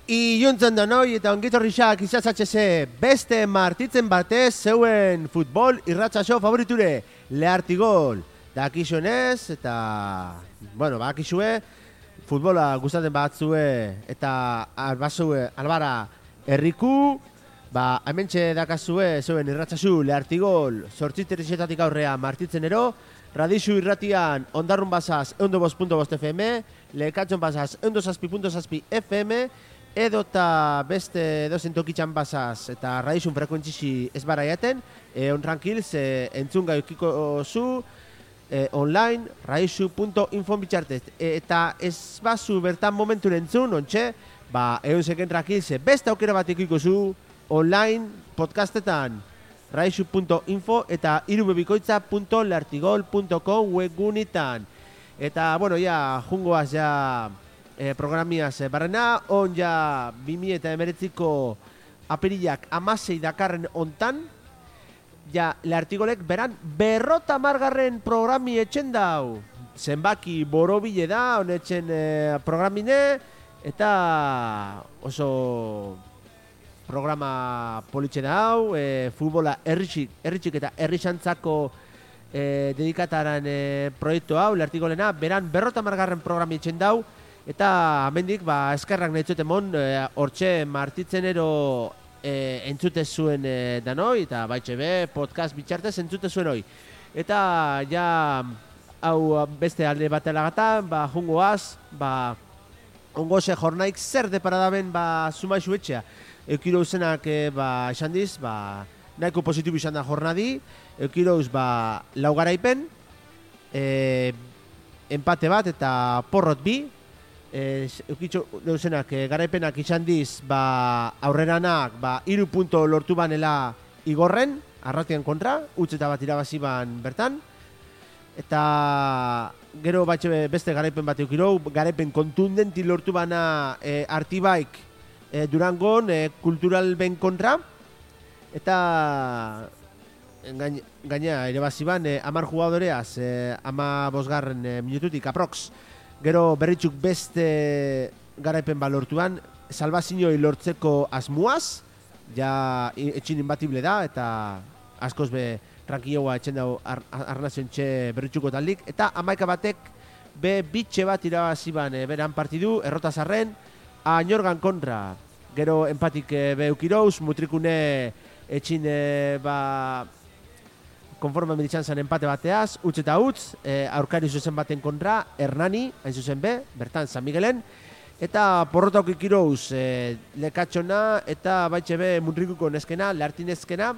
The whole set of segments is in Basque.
Iluntzen da noi eta ongitorrixak izazatxeze beste martitzen batez zeuen futbol irratsaio favoriture, Leartigol. Dakixuenez eta, bakixue, futbola gustatzen batzue eta albazue albara herriku, hementxe dakazue zeuen irratsaio Leartigol, 8:00 aurrea martitzenero, Radixu irratian ondarrun bazaz 105.5 FM, lekatxon bazaz 107.7 FM, edota beste dozen tokitxan bazaz eta radixun frekuentzisi ez baraiaten, ontrankil ze entzun gaukiko zu online radixu.info bitxartez. Eta ez bazu bertan momentu entzun, ontxe, egon seken trankil ze beste aukera bat ikiko zu online podcastetan radixu.info eta irubebikoitza.leartigol.com webgunitan. Eta, jungoaz programiaz barrena, on ja 2019ko apirilak 16 dakarren ontan, ja Leartigolek beran 50 programi etxen dau. Zenbaki borobile da, honetxen programine, eta oso programa politxe dau, futbola erritxik eta errixantzako dedikataren proiektu hau, Leartigolena, beran 50 programi etxen dau, eta amendik, eskerrak nahi zutemon, hortxe martitzenero entzute zuen danoi, eta baitxe podcast bitxartez entzute zuen hoi. Eta, hau beste alde batelagatan, jungoaz, ongoze jornaik zer deparadaben, sumaixu etxea. Eukiro uzenak, esan diz, nahiko positibo izan da jornadi, eukiro uz, laugaraipen, empate bat eta porrot bi, eukitxo deusenak garaipenak izan diz aurreranak 3 punto lortu banela igorren, arratian kontra, utzeta bat irabazi ban bertan, eta gero batxe beste garaipen bat eukiro, garaipen kontundenti lortu bana Artibaik Durangon kultural ben kontra, eta gaina irabazi ban 10 jugadoreaz 15 minututik aprox. Gero berritxuk beste garaipen balortuan, salvazioi lortzeko asmuaz, etxin inbatible da, eta askoz rankioa etxen dago arnazion txe berritxuko taldik, eta 11 batek bitxe bat irabaziban beran partidu, errotazarren, Añorgan kontra. Gero empatik eukirouz, mutrikune etxin konforma meditzan zen empate bateaz, utz eta utz, aurkari zuzen baten kontra, Hernani, hain zuzen bertan San Miguelen, eta porrotauk ikirouz lekatxona, eta baitxe munrikuko neskena, Leartinezkena,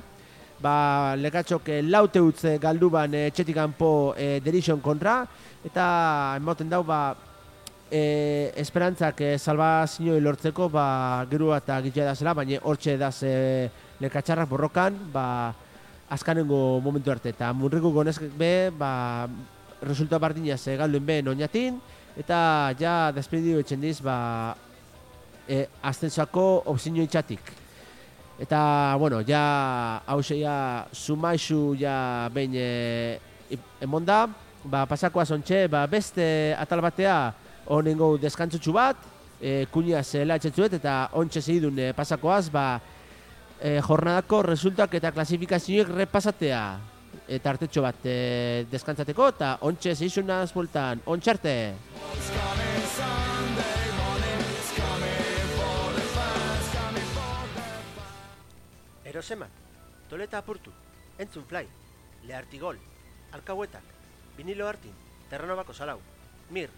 lekatxok laute utz galduban etxetikanpo derixon kontra, eta emoten dau, esperantzak salvazioi lortzeko, gerua eta gitzea da zela, baina hortxe daz lekatxarrak borrokan, azkanengo momentu arte, eta munrikuko neskek resulta bardinaz galduen oinatin, eta despedidu etxen diz, aztenzako opzinio itxatik. Eta, hause sumaixu behin emonda, pasako azontxe, beste atal batea honengo deskantzutxu bat, kuñaz laetxetzuet, eta ontxe zehidun pasakoaz, jornadako resultak eta klasifikazioek repasatea eta artetxo bat deskantzateko eta ontxe zeizunaz bultan, ontxarte! Eroseman, toleta apurtu, entzun fly, Leartigol, alkauetak, vinilo hartin, terranobako salau, mir,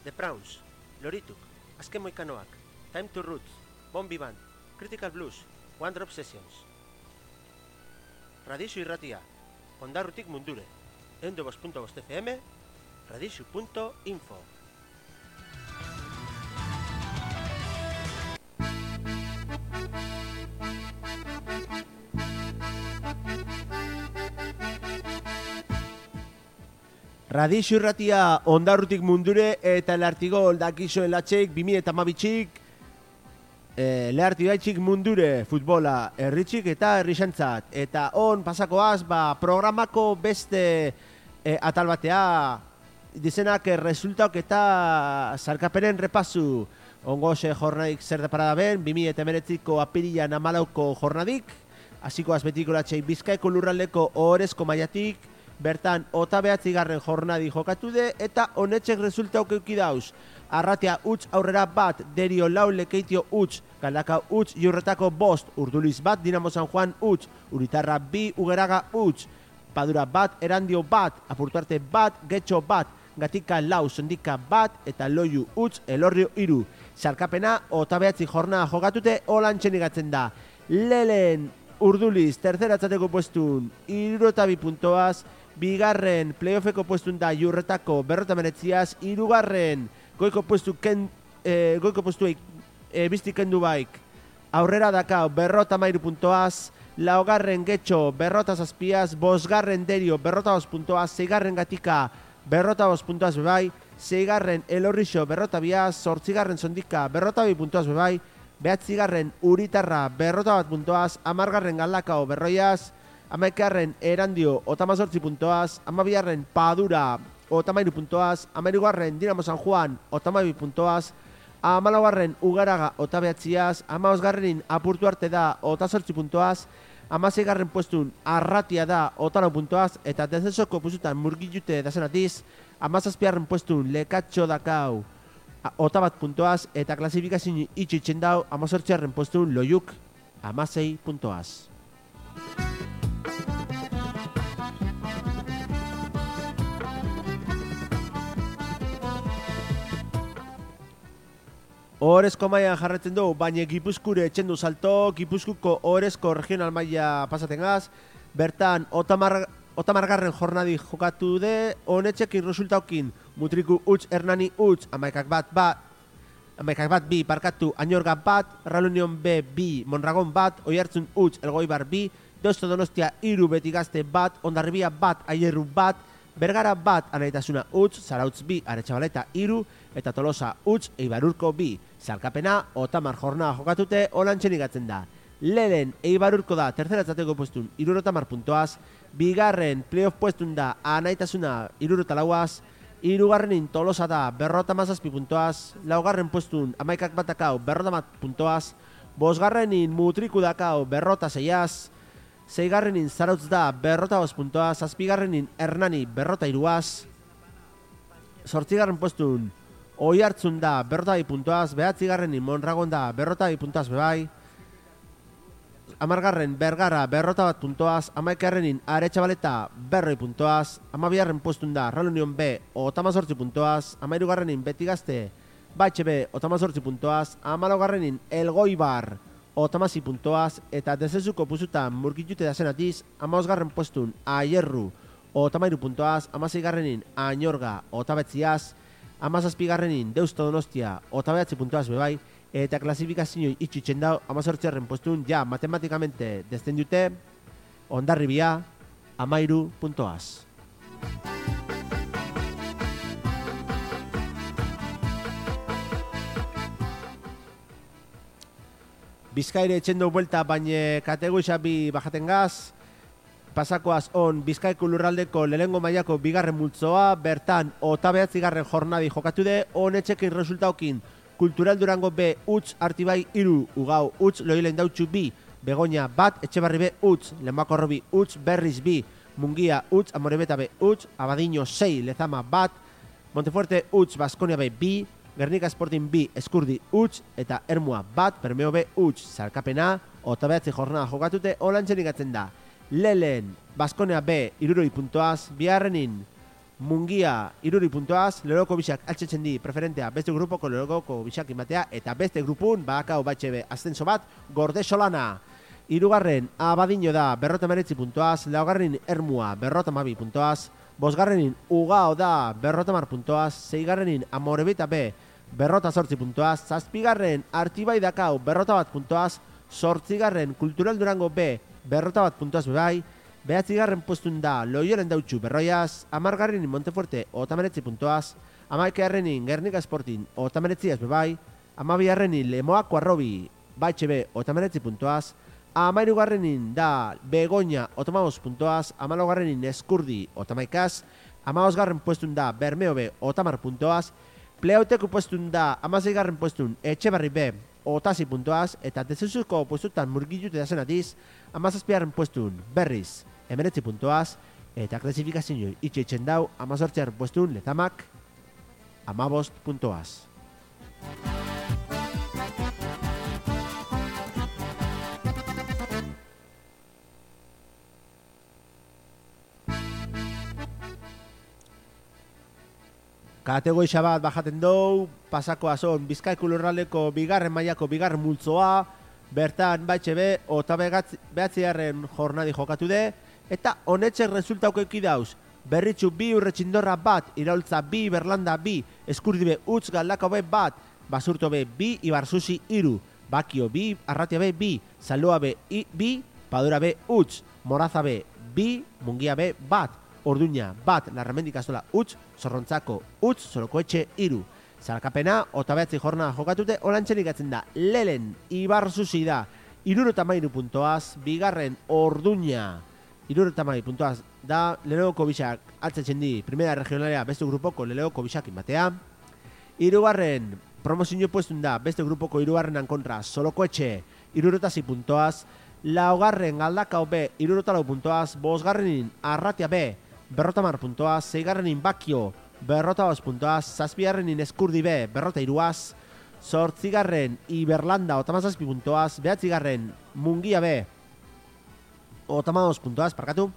The Prawns, lorituk, azken moikanoak, Time to Roots, Bombi Band, Critical Blues, One Drop Sessions. Radixu irratia, ondarrutik mundure, 102.5 FM, radixu.info. Radixu irratia, ondarrutik mundure, eta Leartigol dakizoen latxeik, 2012-txik, Leartigol mundure futbola erritxik eta errixantzat. Eta on pasakoaz, programako beste atal batea, dizenak resultauk eta zarkapenen repasu Ongoxe jornadik zer deparada ben, 2019ko apirilan 14ko jornadik, hasiko azbetiko latxei Bizkaiko lurraldeko ohorezko mailatik, bertan ota behatzigarren jornadi jokatu de, eta honetxek resultauk euki dauz. Arratia utz aurrera bat, Derio lau, Lekeitio utz, Galdaka utz, Iurretako bost, Urduliz bat, Dinamo San Juan utz, Uritarra bi, Ugeraga utz, Padura bat, Erandio bat, Apurtuarte bat, Getxo bat, Gatika lau, Sondika bat, eta Loiu utz, Elorrio iru. Sarkapena, ota behatzi jornada jokatute, holantxen igatzen da. Lelen, Urduliz, terceratzateko puestun, 62 puntoaz, bigarren playoffeko puestun da Iurretako 59, hirugarren goiko puestuei biztik kendu baik aurrera dakau 53 puntoaz, laugarren Getxo 57, bosgarren Derio 52 puntoaz, seigarren Gatika 52 puntoaz bebai, seigarren Elorrixo 52, zortzigarren Sondika 52 puntoaz bebai, behatzigarren Uritarra 51 puntoaz, amargarren Galdakao berroiaz, amaikagarren Erandio 58 puntoaz, amabigarren Padura 53 puntoaz, amairugarren Dinamo San Juan 52 puntoaz, amalaugarren Ugaraga 29, amabosgarrenin Apurtuarte da 28 puntoaz, amaseigarren puestun Arratia da 4 puntoaz, eta descensoko pusutan murgilute dazenatiz, amazazpigarren puestun Lekatxo dakau 1 puntoaz, eta klasifikazio itxitzen dau amazortzigarren puestun Loiuk 16 puntoaz. Ohorezko mailan jarretzen du, baina Gipuzkure etxendu salto, Gipuzkuko ohorezko regional maila pasatengaz, bertan otamargarren jornadi jokatu de, honetxekin resultaukin Mutriku utz, Hernani utz, amaikak bat bi, parkatu, Añorga bat, Reunión B bi, Mondragon bat, Oiartzun utz, Elgoibar bi, Deusto Donostia iru, Betigazte bat, Hondarribia bat, Aierru bat, Bergara bat, Anaitasuna utz, Zarautz bi, Aretxabaleta iru, eta Tolosa utz, Eibarurko bi. Zalkapena, otamar jornada jokatute, holantxen igatzen da. Lehen, Eibarurko da, terceratzateko puestun, 60 puntoaz, bigarren, playoff puestun da, Anaitasuna 64, hirugarrenin Tolosa da, 57 puntoaz, laugarren puestun, amaikak batakau, 50 puntoaz, bosgarrenin Mutriku dakau, 56, seigarrenin Zarautz da, 45 puntoaz, zazpigarrenin Hernani, 43, zortzigarren puestun, Oiartzun da, 42 puntoaz, behatzigarrenin Mondragon da, 42 puntoaz bebai, amargarren Bergara, 41 puntoaz, amaikarrenin Aretxabaleta, 40 puntoaz, amabigarren puestun da, Reunión B, 58 puntoaz, amairugarrenin Betigazte, Batxe B, 58 puntoaz, amalaugarrenin Elgoibar, 56 puntoaz, eta dezenzuko puzutan murgitute dazenatiz, amabosgarren puestun Aierru, 53 puntoaz, amaseigarrenin Añorga, 59, amazazpigarrenin Deusto Donostia 29 puntoaz bebai, eta klasifikazio itxitzen dau amazortziarren postun ja matematikamente descendute Hondarribia 13 puntoaz. Bizkaire etxendo buelta baina kategoria bi bajaten gaz, pasakoaz on Bizkaiko lurraldeko lehengo mailako bigarren multzoa, bertan 29. jornadi jokatu de, honetxekin resultaukin Kultural Durango B utz, Artibai iru, Ugau utz, Loilen Dautxu bi, Begoña bat, Etxebarri B utz, Lemoako bi utz, Berriz bi, Mungia utz, Amorebeta B utz, Abadiño 6, Lezama bat, Montefuerte utz, Baskonia B bi, Gernika Sporting B, Eskurdi utz, eta Ermua bat, Bermeo B utz. Zalkapena, 29 jornada jokatute, holantxen igatzen da. Lelen, Baskonia B, 60 puntoaz, biharrenin, Mungia, 60 puntoaz, Loroko bisak altxetzen di preferentea beste grupoko Loroko bisak imatea, eta beste grupun, bakau batxe be, ascenso bat, Gorde Solana. Hirugarren, Abadiño da, 59 puntoaz, laugarrenin Ermua, 52 puntoaz, bosgarrenin Ugao da, 50 puntoaz, seigarrenin Amorebita B, 48 puntoaz, zazpigarren Artibai dakau, 41 puntoaz, zortzigarren Kultural Durango B, 41 puntoaz bebai, behatzigarren postun da Loiolen Dautxu berroiaz, amargarrenin Montefuerte 39 puntoaz, amaikegarrenin Gernika Sporting 39 bebai, amabigarrenin Lemoako Arrobi Batxe B 39 puntoaz, amairugarrenin da Begoña 85 puntoaz, amalaugarrenin Eskurdi 39, amabosgarren postun da Bermeo B 80 puntoaz, Pleauteko puestun da, 16. puestun, Etxebarri B, otasi puntuaz, eta dezezuko puestutan murgilute da zenatiz, 17. puestun, berriz, 19 puntuaz, eta klasifikazio itxeitzen dau, 18. puestun, Letamak, 15 puntuaz. Kategoria bat bajaten dou, pasako azon Bizkaiko lurraldeko bigarren mailako bigarren multzoa, bertan baitxe be, eta behatzigarren jornadi jokatu de, eta honetxek resultauko dauz, Berritxu bi Urretxindorra bat, Iraultza bi Berlanda bi, Eskurdi be utz Galdakao be bat, Basurto be bi, Ibarzuzi iru, Bakio bi, Arratia be bi, Zaloa be bi, Padura be utz, Moraza be bi, Mungia be bat, Orduña bat, Larramendi Kastola utz, Zorrontzako utz, Sorokoetxe iru. Zalkapena, otabeatzi jornada jokatute, olantxerik atzen da, Lelen, Ibarzuzi da, 63 puntoaz, bigarren Orduña, 63 puntoaz da, Leleoko bisak altzetzen di, primera regionalea beste grupoko Leleoko bisakin batea, hirugarren promozio puestun da, beste grupoko hirugarrenan kontra, Solokoetxe, 66 puntoaz, laugarren Galdakao B, 64 puntoaz, bosgarrenin Arratia B, 50 puntoaz, seigarrenin Bakio, 45 puntoaz, zazpigarrenin Eskurdi B, 43, zortzigarren Iberlanda, 37 puntoaz, behatzigarren Mungia B, 32 puntoaz, parkatu,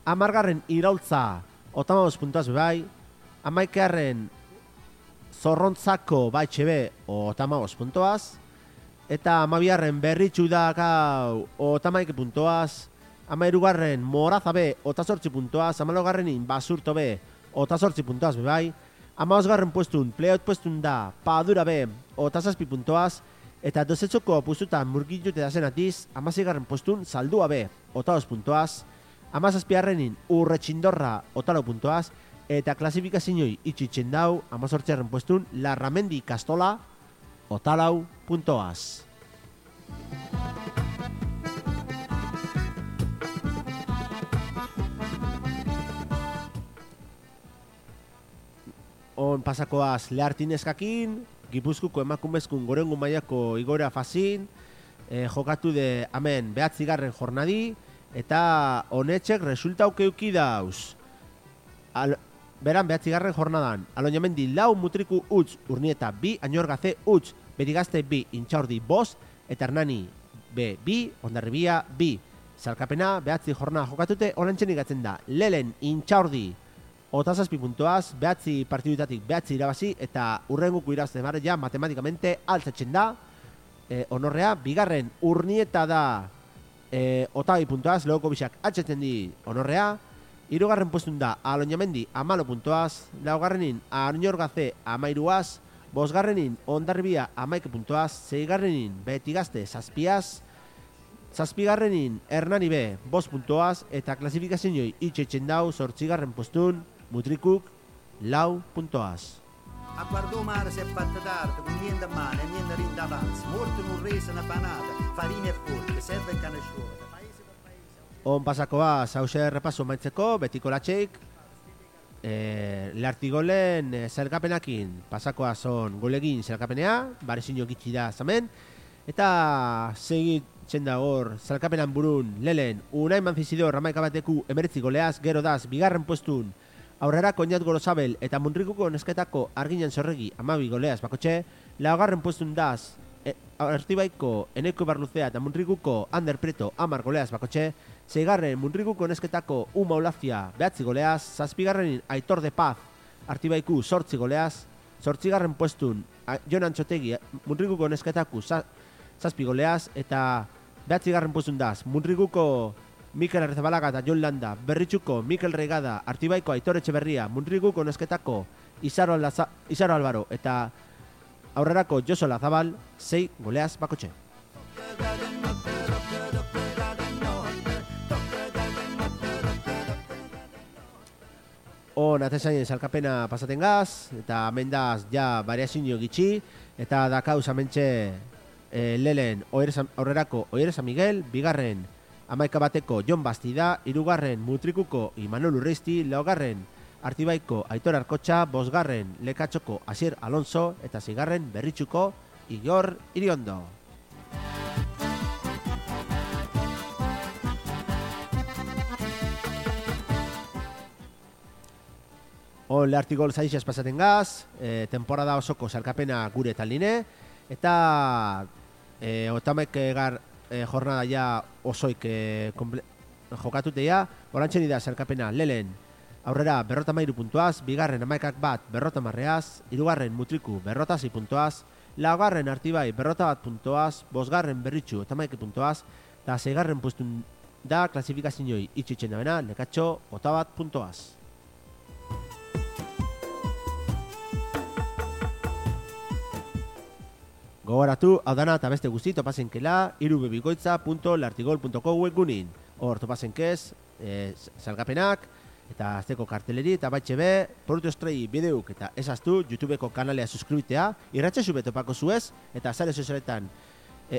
amargarren Iraultza, 32 puntoaz bebai, amaikegarren Zorrontzako baitxe B, 32 puntoaz, eta amabigarren Berritxu da gau, 31 puntoaz, amairugarren Moraza B, 28 puntoaz, amalaugarrenin Basurto B, 28 puntoaz bebai, amabosgarren puestun, Pleaut puestun da, Padura B, 27 puntoaz, eta dozetzoko puestutan murgilute da zenatiz, 16. puestun, Zaldua B, 22 puntoaz, 17. Urretxindorra, 24 puntoaz, eta klasifikazioi itxitzen dau, 18. puestun, Larramendi Kastola, 24 puntoaz. On pasakoaz Lehartineskakin, Gipuzkuko emakumezkun gorengu mailako igoera fazin, jokatu de hemen behatzigarren jornadi, eta honetxek resultauke euki dauz. Beran behatzigarren jornadan, Aloñamendi lau Mutriku utz, Urnieta bi, Añorgaze utz, Berigazte bi, Intxaurdi bost, eta Hernani B bi, Hondarribia bi. Zalkapena behatzi jornada jokatute, olantxenik atzen da, Lelen Intxaurdi, 27 puntoaz, behatzi partidutatik behatzi irabazi, eta urrenguko irazte barre ja matematikamente altzatzen da, honorrea, bigarren Urnieta da, 22 puntoaz, lehoko bisak altzatzen di honorrea, hirugarren puestun da, Aloñamendi 14 puntoaz, laugarrenin Añorgaze 13, bosgarrenin Hondarribia 11 puntoaz, seigarrenin Betigazte 7, zazpigarrenin Hernani B 5 puntoaz, eta klasifikazioi itxeitzen dau, zortzigarren puestun, Mutrikuk 4 puntoaz. A guardò mare si è fatta tardi, con niente a mano e niente rinda avanza. Morto non resa una panata, farina e forte, serve il canescione. On pasakoa, zauze repaso maitzeko, betiko latxeik, Lehartigolen zelkapenakin, pasakoa zon golegin zelkapenea, barezino gitxi da zamen, eta segitzen da hor, zelkapenan burun, Lelen, Unai Manzizidor, Ramaika bateku, 19 goleaz, gero daz, bigarren puestun, aurrera Koñat Gorosabel eta Muntrikuko nesketako Arginan Zorregi 12 goleaz bakotxe, laugarren puestun daz, Artibaiko Eneko Barluzea eta Muntrikuko Ander Preto 10 goleaz bakotxe, seigarren Muntrikuko nesketako Uma Olafia 9 goleaz, zazpigarrenin Aitor de Paz Artibaiku 8 goleaz, zortzigarren puestun Jon Antxotegi Muntrikuko nesketako 7 goleaz, eta 9garren puestun daz, Muntrikuko Mikel Arrizabalaga eta Jon Landa, Berritxuko Mikel Reigada, Artibaiko Aitor Etxeberria, Muntrikuko nesketako Izaro Albaro eta aurrerako Joso Lazabal 6 goleaz bakotxe. On atezainen salkapena pasaten gaz, eta amendaz ja variazinio gitxi, eta dakauz amentxe Lelen aurrerako Oire San Miguel, bigarren Amaika bateko Jon Bastida, hirugarren Mutrikuko Imanol Urreisti, laugarren Artibaiko Aitor Arkotxa, 5. Lekatxoko Asier Alonso eta 6. Berritxuko Igor Iriondo. Leartigol zaizaz pasaten gaz, temporada osoko salkapena gure taldine, eta otamek gar jornada ja osoik jokatutea, orantxen da salkapena lehen aurrera 53 puntuaz, 2. Amaikak bat 50, 3. Mutriku 56 puntuaz, 4. Artibai 1 puntuaz, 5. Berritxu 11 puntuaz, eta 6. pustun da klasifikazioi itxitzen dabena, Lekatxo 1 puntuaz. Gogoratu, hau dana eta beste guzti topazenkela irubebikoitza.lartigol.co webgunin. Hor topazenkez, salgapenak, eta azteko karteleri, eta batxe be, produktu estrei bideuk eta ezaztu YouTubeko kanalea suskribitea, irratxesu betopako zuez, eta sare sozialetan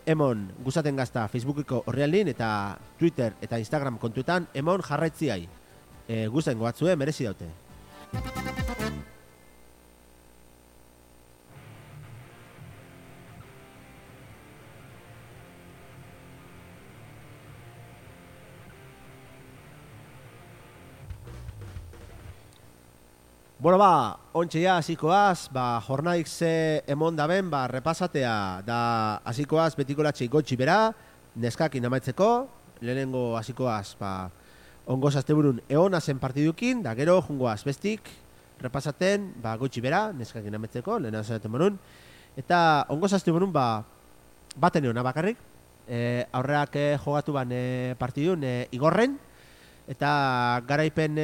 emon guzaten gazta Facebookiko horrealin, eta Twitter eta Instagram kontuetan emon jarraitziai. Guzen goatzue, merezi daute. Bueno, ontxe ja, hasikoaz, jornadik ze emon daben, repasatea, da hasikoaz betikolatxei gotxi bera, neskakin amaitzeko, lehenengo hasikoaz, ongoz asteburun eona zen partidukin, da gero, jungoaz bestik, repasaten, gotxi bera, neskakin amaitzeko, lehen azaten morun, eta ongoz asteburun, baten eona bakarrik, aurreak jogatu ban partidun Igorren, eta garaipen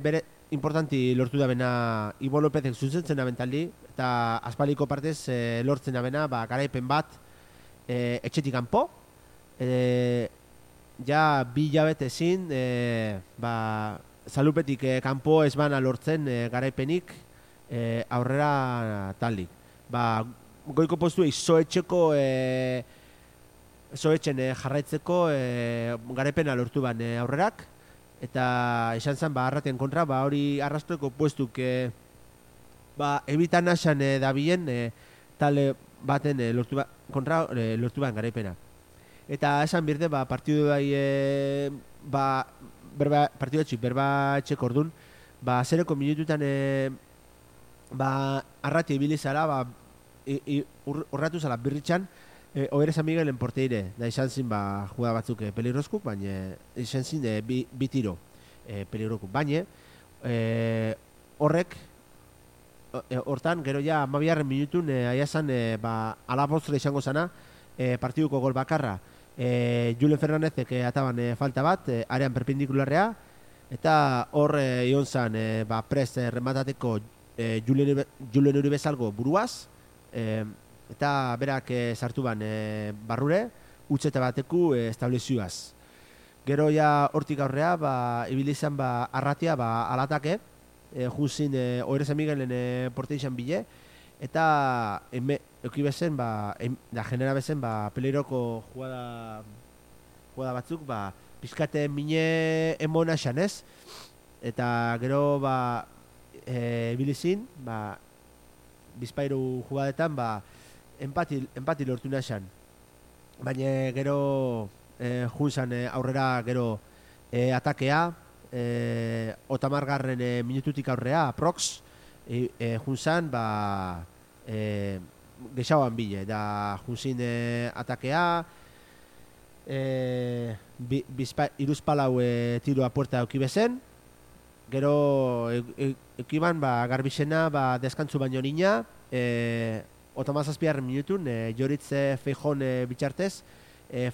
bere, importanti lortu da bena Ibo Lopezek zuzentzen da bentaldi, eta azpaliko partez lortzen da bena garaipen bat etxetik kanpo. Ja 2 hilabete ezin zalupetik kanpo ez bana lortzen garaipenik aurrera taldik. Goiko postua zoetxen jarraitzeko garaipena lortu ban aurrerak, eta esan zen arraten kontra, hori arrastreko puestuk ebitan asan dabilen talde baten lortu ban garaipena. Eta esan birde, partidu partidu etxik berba etxeko ordun, 0 minututan arrati ibilizala, urratu zala birritxan, Oere San Miguelen porteire, da izan zin jugada batzuk peligrozkuk, baina izan zin bi tiro peligrozkuk. Baina hortan, gero ja 12. minutun aiazan alabostre izango zana partiduko gol bakarra. Julen Fernandezek ataban falta bat, arean perpendikularrea, eta hor ion zan prest rematateko Julen Uribezalgo buruaz, eta berak sartu ban barrure, utxeta bateku establezioaz. Gero ja hortik aurrea, ibilizan arratia alatake, juzin Oere San Miguelen porte izan bile, eta eukibezen, genera bezen, peleroko jugada batzuk, pizkate mine emona esan ez, eta gero ibilizin, bizpairu jugadetan, empati lortu nahan. Baina gero junzan aurrera gero atakea, 30. Minututik aurrea, aprox, junzan gexauan bile, da junzin atakea, iruzpalau tiroa puerta eukibezen, gero eukiban garbizena deskantzu baino nina, 37. Minutun Joritze Feijon bitxartez,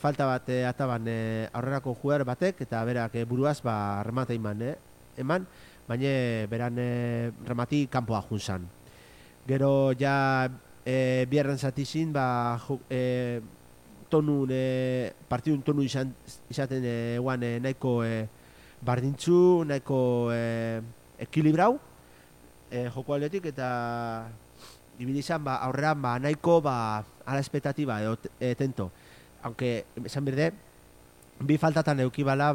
falta bat ataban aurrerako jugar batek, eta berak buruaz remata eman, baina beran remati kanpoa junzan. Gero ja biarren zatizin, partidun tonu izaten eguan nahiko bardintzu, nahiko ekilibrau joko aldetik, eta ibilizan aurrean nahiko ala espetatiba tento. Aunque, esan berde, bi faltatan eukibala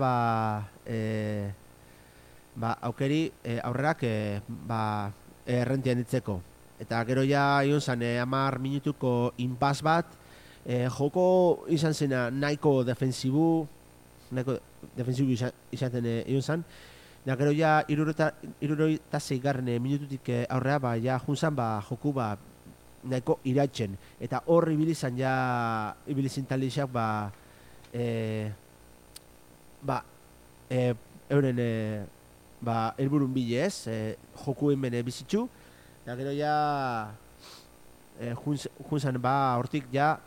aukeri aurrerak errentian ditzeko. Eta gero ja ion zen 10 minutuko inpas bat, joko izan zena nahiko defensibu izaten ion zen. Da gero ja 76 minututik aurrea ja junzan joku nahiko iratzen. Eta hor ibilizan ja ibilizin talixak euren helburun bile ez, jokuen bene bizitzu. Eta gero ja junzan hortik ja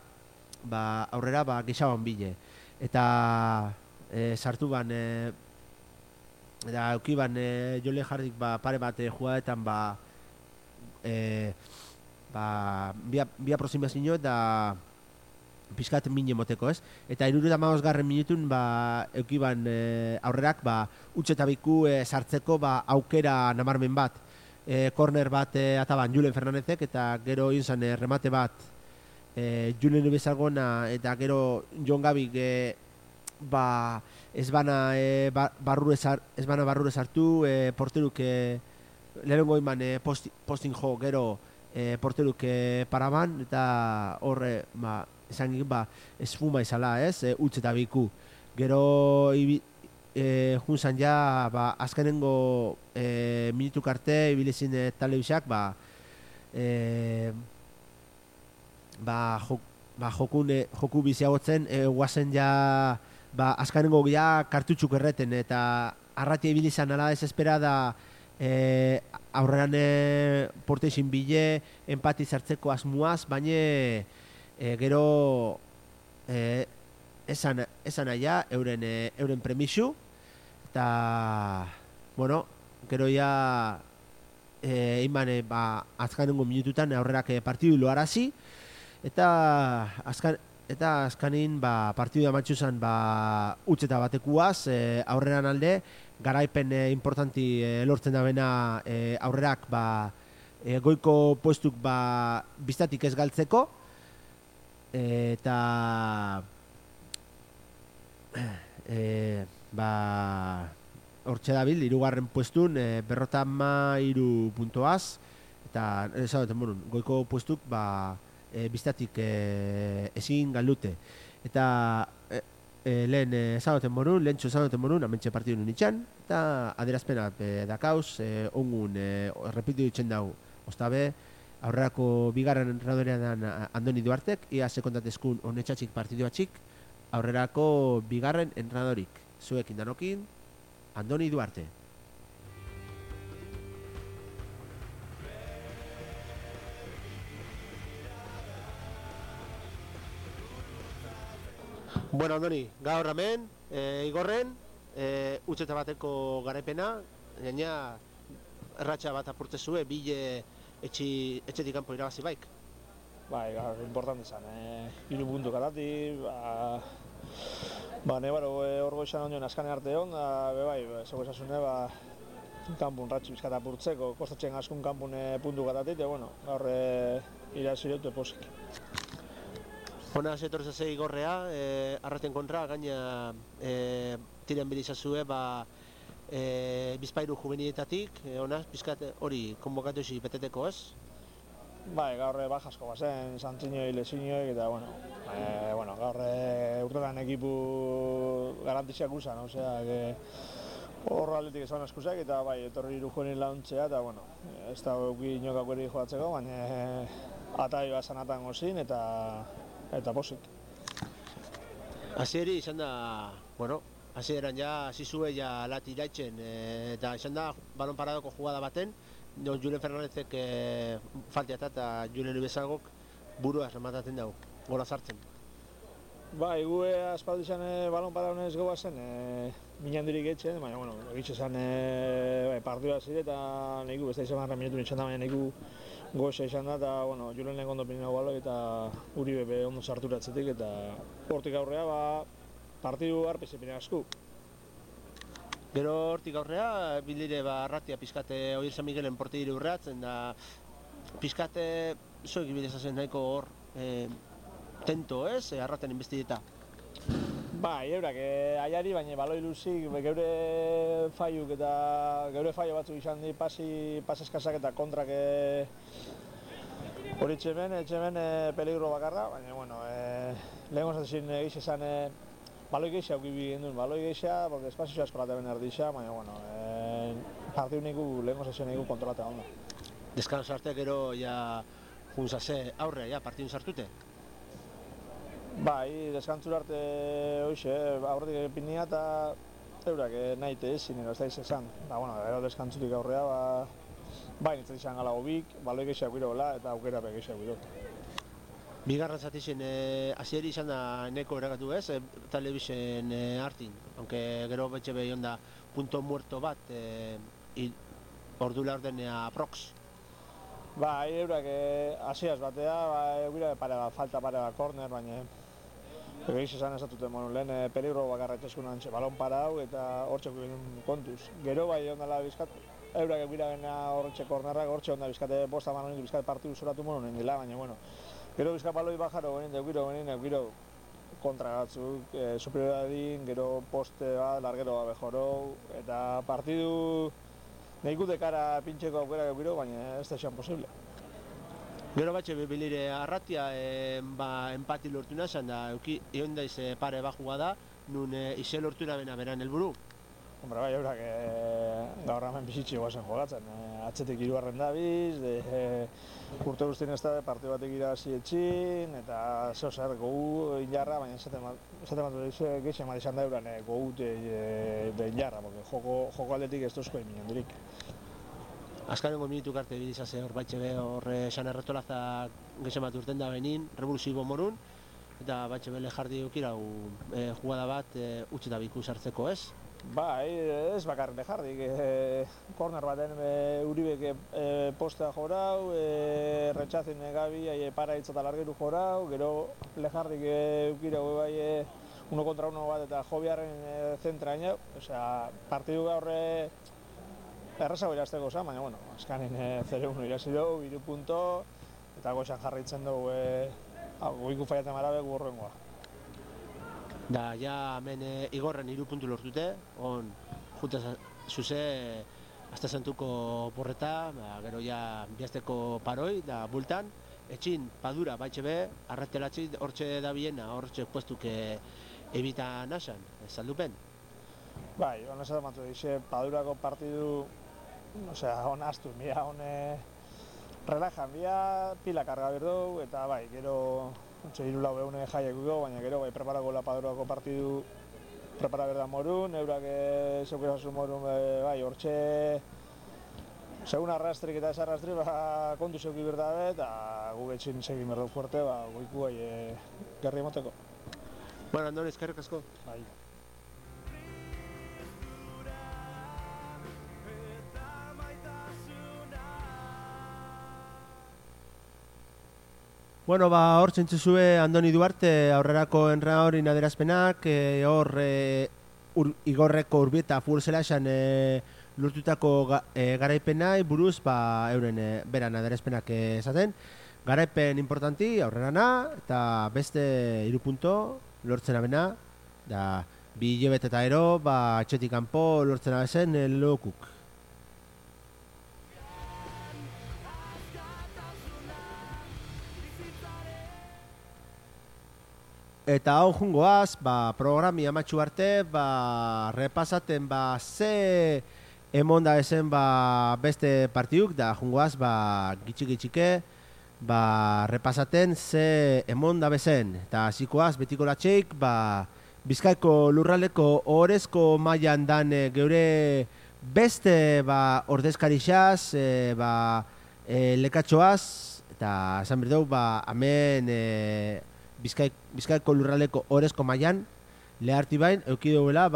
aurrera gixaban bile. Eta sartu eta eukiban jole jarrik pare bat jugadetan bi aproximazio eta pizkat mine moteko ez. Eta 75 minutun eukiban aurrerak utxe eta biku sartzeko aukera namarmen bat. Korner bat ataban Julen Fernandezek eta gero inzan remate bat Julen Ubezalgona eta gero Jon Gabik ez bana barrure sartu, porteruk lehenengo iman postin jo gero porteruk paraban eta horre esan esfuma izala ez, utz eta biku. Gero junzan ja azkenengo minutuk arte ibilezin telebizak joku biziagotzen guazen ja azkenengo ja kartutxuk erreten eta arratia ibilizan ala desesperada aurrean porteixin bile empati zartzeko asmuaz, baina gero esan aia euren premisu eta bueno, gero ja iman azkanengo minututan aurrerak partidu loarazi eta azkanin partidu amantxuzan utzeta batekuaz aurreran alde garaipen importanti lortzen da bena aurrerak goiko puestuk biztatik ez galtzeko eta hortxe dabil, 3. puestun 53 puntoaz eta goiko puestuk biztatik ezin galdute eta lehen lehentxo ezagoten morun amentxe partidu nintzen eta adierazpena dakauz ongun repitu ditzen dau ostabe aurrerako bigarren entradorean Andoni Duartek ia sekondatezkun honetxatxik partidu batxik aurrerako bigarren entradorik zuekin danokin Andoni Duarte. Bueno, Andoni, gaur hemen, igorren, utzeta bateko garaipena, gaina erratxa bat apurtzezue, bile etxetik kanpo irabazi baik. Bai, gaur, importante izan, 3 puntu katati, nebaro hor goizan ondoen askane arte hon, bai, zego esasune, kanpun ratxi bizkat apurtzeko, kostatzen askun kanpun puntu katatit, bueno, gaur iraziretu posik. Hona zetortzazei gorrea, arraten kontra, gaina tiren bilizazue, bizpairu juvenietatik, hona, bizkat hori konbokatu ezi beteteko ez? Bai, gaur bajasko bazen, santzinoi, lezinoi, eta gaur urtetan ekipu garantiziak usan, hor aldetik esan askusak, eta bai, etorri irujuenin launtzea, eta ez da euki inokak eri joatzeko, baina atai bat zanatan gozin, eta posik. Hasieri izan da, hasieran ja zizue ja lati iraitzen, eta izan da balon paradoko jugada baten, Julen Fernandezek faltiata eta Julen Ubezalgok burua remataten dugu, gola sartzen. Bai, gue aspaldi izan balon paraunez goba zen, minandirik etxen, baina, egitxe zen partidua zire eta neku, besta izan marra minutu nintzen da, baina neku goza izan da, eta, Julen lehen gondo pinina baloi eta Uribe be ondo sarturatzetik, eta hortik aurrea, partidu harpize pina asku. Gero hortik aurrea, bildire arratia pizkate Oier San Miguelen portidire urreatzen da pizkate zoik ibileza zen nahiko hor tento ez, arraten inbestideta. Bai, eurak aiari, baina baloi luzik, geure faiuk eta geure faio batzuk izan di pas eskasak eta kontrak hori etxemen peligro bakarra, baina, bueno, lehenko zaten egiz esan baloi geixa aukibi gendun, baloi geixa, porque espazio asko laten erdixa, baina, bueno, partiu niku lehenko zaten niku kontrolatea ondo. Deskanso arte gero ja junzase aurre, ja partidun sartute? Bai, deskantzura arte hoxe, aurretik epinia eta eurak nahite ezin, ez da izan. Bueno, gero deskantzurik aurrea, bai nintzen izan gala hobik, baloi gehiago girola eta aukera gehiago giro. Bigarren zatixen hasieri izan da neko erakatu ez, telebisen hartin, aunque gero betxe behion da punto muerto bat, ordula ordenea aprox. Bai, eurak hasiaz batea, eukira falta pare bat corner, baina egiz esan ez datuten monu, lehen peligro bakarra etxeskunan balon parau eta hortxeko kontuz. Gero bai ondala bizkat, eurak eukira gena hortxe kornerrak, hortxe onda bizkate bosta manonik bizkate partidu zoratu monu nien dila, baina bueno. Gero bizkat baloi bajaro genin, eukiro kontra batzuk, superioradin, gero poste bat, largero bat bejorou, eta partidu nahikute kara pintxeko aukera eukiro, baina ez da esan posible. Gero batxe bilire arratia empati lortu nazan da egon daiz pare bat jugada, nun ize lortu bena beran helburu. Hombre, bai, eurak gaur hemen bizitxe guazen jogatzen. Atzetik hirugarren dabiz, urte guztien ez da partidu batek irabazi etxin, eta zeo zer gogu injarra, baina esaten bat geixen bat izan da euran gogu de injarra, porque joko aldetik ez tozko eminen dirik. Azkarengo minutuk arte bilizase hor batxe be horre esan erretolaza geixen bat urten da benin, revoluzibo morun, eta batxe bele jardi eukirau jugada bat utxeta biku sartzeko ez? Bai, ez bakarrik lejardik, korner baten Uribek postea jorau, retxazin gabi, para hitz eta largeru jorau, gero lejardik eukirau bai 1 kontra 1 bat eta jobiarren zentra gaina, osea, partidu gaur errazago irazteko zan, baina, bueno, azkanin 0-1 irazilo, 3 punto, eta goxan jarraitzen dugu goiku faiatzen marabe gurrengoa. Da, ja, hemen igorren 3 puntu lortute, jute zuze, azte zentuko porreta, gero ja bihazteko paroi, da bultan, etxin, padura, baitxe be, arratelatzi, hortxe da biena, hortxe puestuk ebita nasan, saldupen. Bai, hona esaten matu dixe, padurako partidu, osea, hona astu, mira, hone relajan, bia pila karga berdou, eta bai, gero, hiru-lau behune jaiek dugu, baina gero bai preparako la padurako partidu prepara berda morun, eurak zeukerazu morun, bai, hortxe segun arrastrik eta ez arrastrik, kontu zeuki berda eta gu etxin segin berdau fuerte, goiku bai gerri emoteko. Bueno, Andon, eskerrik asko. Bai. Bueno, hor txentzuzue Andoni Duarte aurrerako enra hori naderazpenak, hor igorreko Urbieta futbol esan lortutako garaipenai buruz euren beran naderazpenak esaten. Garaipen importanti aurrerana eta beste 3 punto lortzen abena, da 2 hilabete eta ero, etxetik kanpo lortzen abezen lokuk. Eta hau jungoaz, programi amatxu arte, repasaten ze emonda ezen beste partiduk, da jungoaz, gitxik-gitxike, repasaten ze emonda bezen. Eta zikoaz, betiko latxeik, Bizkaiko lurraldeko orezko mailan dan geure beste ordezkarixaz, lekatxoaz, eta esan berdeu, hemen Bizkaiko lurraldeko orezko mailan leharti bain, eukiduela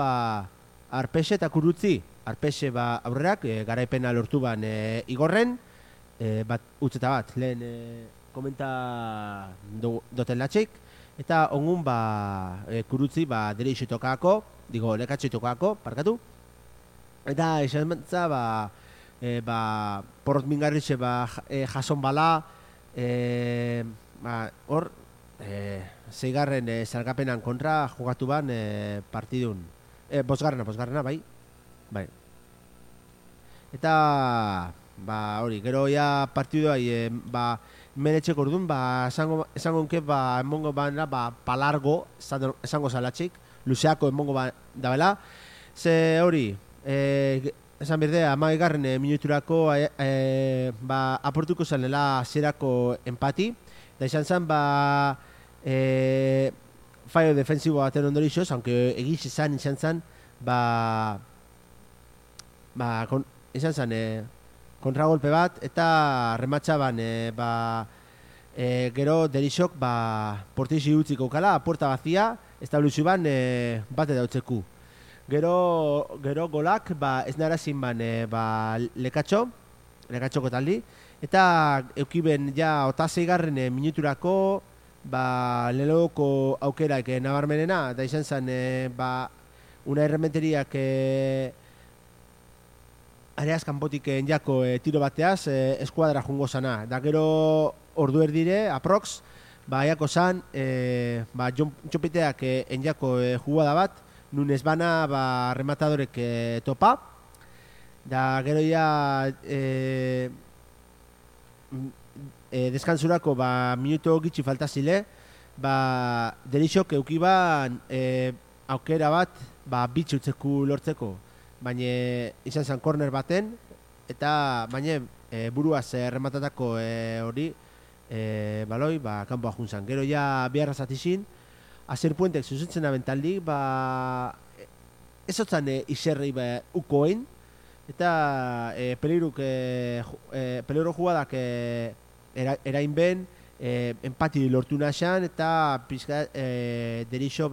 Arpexe eta Kurutzi. Arpexe aurrerak, garaipena lortu ban igorren, utzeta bat, lehen komenta doten latxeik, eta ongun Kurutzi dereixo tokako, lekatxo tokako, parkatu. Eta esan bentza, porrot mingarritxe jason bala, hor, zeigarren salgapenan kontra jugatu ban partidun. Bosgarrena, bai. Bai. Eta, hori, gero ja partidua, menetxeko orduan, esango nke, emongo bana, palargo, esango zalatxik, luzeako emongo dabela. Ze hori, esan berde, 11. Minuturako aportuko zanela zerako empati, da izan zen, fallo defensibo baten ondorixoz, aunque egiz izan zen, izan zen kontragolpe bat, eta rematxaban, gero derixok, portixi utziko kala, puerta bazia, establizio ban, bate dautzeku. Gero golak, ez narazin ban, lekatxoko taldi, eta eukiben ja otazeigarren minuturako, leloko aukeraik nabarmenena, da izan zen, una errementeriak areaz kanpotik enjako tiro bateaz eskuadra jungo zana. Da gero ordu erdire, aprox, jako zan, txopiteak enjako jugada bat, nun ez bana rematadorek topa. Da gero ja deskansurako minuto gitxi faltazile, derixok eukiban aukera bat bitxutzeku lortzeko, baina izan zen korner baten, eta baina buruaz rematatako hori baloi kanpoa juntzan. Gero ja biharra zatizin, Azer Puentek zuzentzen abentaldi, ezotzan izerrei ukoen, eta peligro jugadak erain ben, empati lortu naxan, eta pizka derixo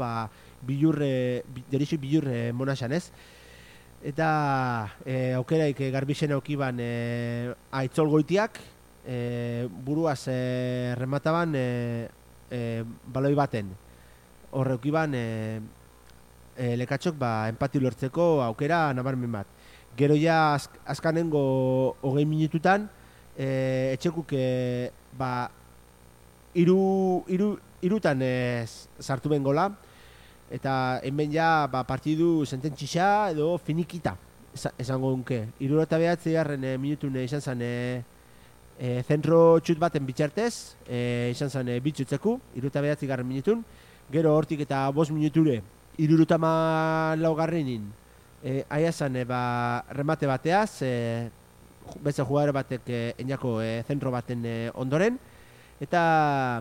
bilurre monaxan, ez? Eta aukeraik garbixen aukiban aitzol goitiak, buruaz remataban baloi baten. Horre aukiban lekatxok empati lortzeko aukera nabarmen bat. Gero ja azkanengo 20 minututan, etxekuk irutan sartu ben gola, eta hemen ja partidu sententxisa edo finikita, esango dunke. 79. Minutun izan zen zentro txut baten bitxartez, izan zen bitxutzeku, 79. Minutun. Gero hortik eta 5 minuture, 74. Aia zen remate bateaz, beste jugadore batek enjako zentro baten ondoren, eta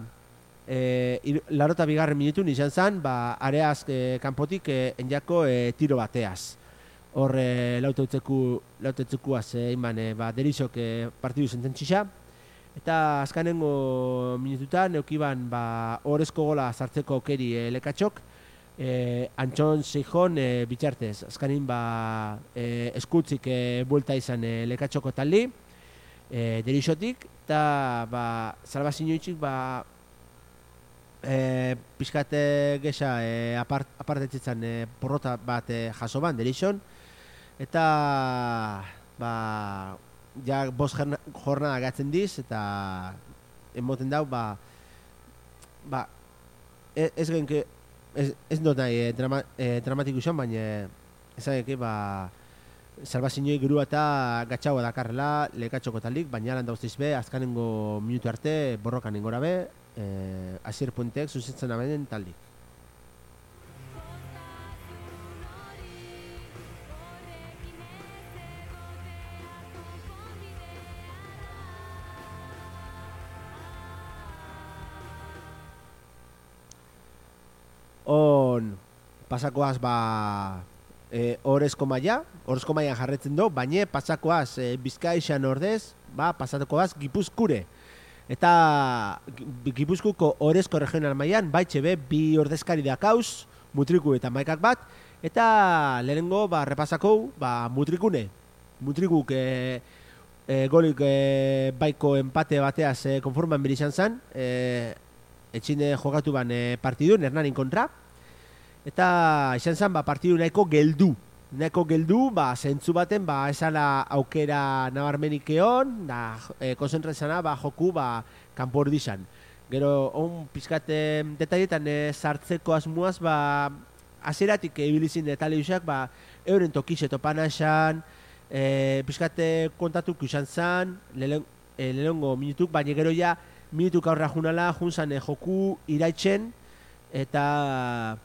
82. Minutun izan zen, areaz kanpotik enjako tiro bateaz. Hor lautetzekuaz iman derixok partidu sententxisa. Eta azkanengo minututan eukiban horrezko gola sartzeko aukeri lekatxok, Antxon Seijon bitxartez. Azkanin eskutzik buelta izan lekatxoko taldi, derixotik, eta salbazinoitzik pixkate gesa apartetzitzen porrota bat jaso ban derixon, eta ja 5 jornada gatzen diz, eta emoten dau ez genke ez dut nahi dramatiku izan, baina esan eke salbazinoi gurua eta gatxaua dakarrela lekatxoko talik, baina lan dauztiz be, azkanengo minutu arte borrokan ingora be, Azier Puentek zuzentzen abenen talik. On pasakoaz horrezko maia jarretzen du, baina pasakoaz Bizkaixan ordez, pasakoaz Gipuzkure. Eta Gipuzkuko horrezko regional maian, baitxe be, 2 ordezkari dakauz, Mutriku eta Maikak bat, eta lehenengo repasako Mutrikune. Mutrikuk golik baiko empate bateaz konforman berizan zen, etxine jokatu ban partidun, Hernanin kontra, eta izan zen partidu nahiko geldu, zentzu baten esala aukera nabarmenik egon, konzentratzena joku kanpo ordizan. Gero, pizkat detailetan sartzeko asmuaz, hasieratik ibilizin telebisak, euren tokixe topan esan, pizkat kontatuko izan zan, lehenengo minutuk, baina gero ja, minutuk aurra junala, junzan joku iraitzen, eta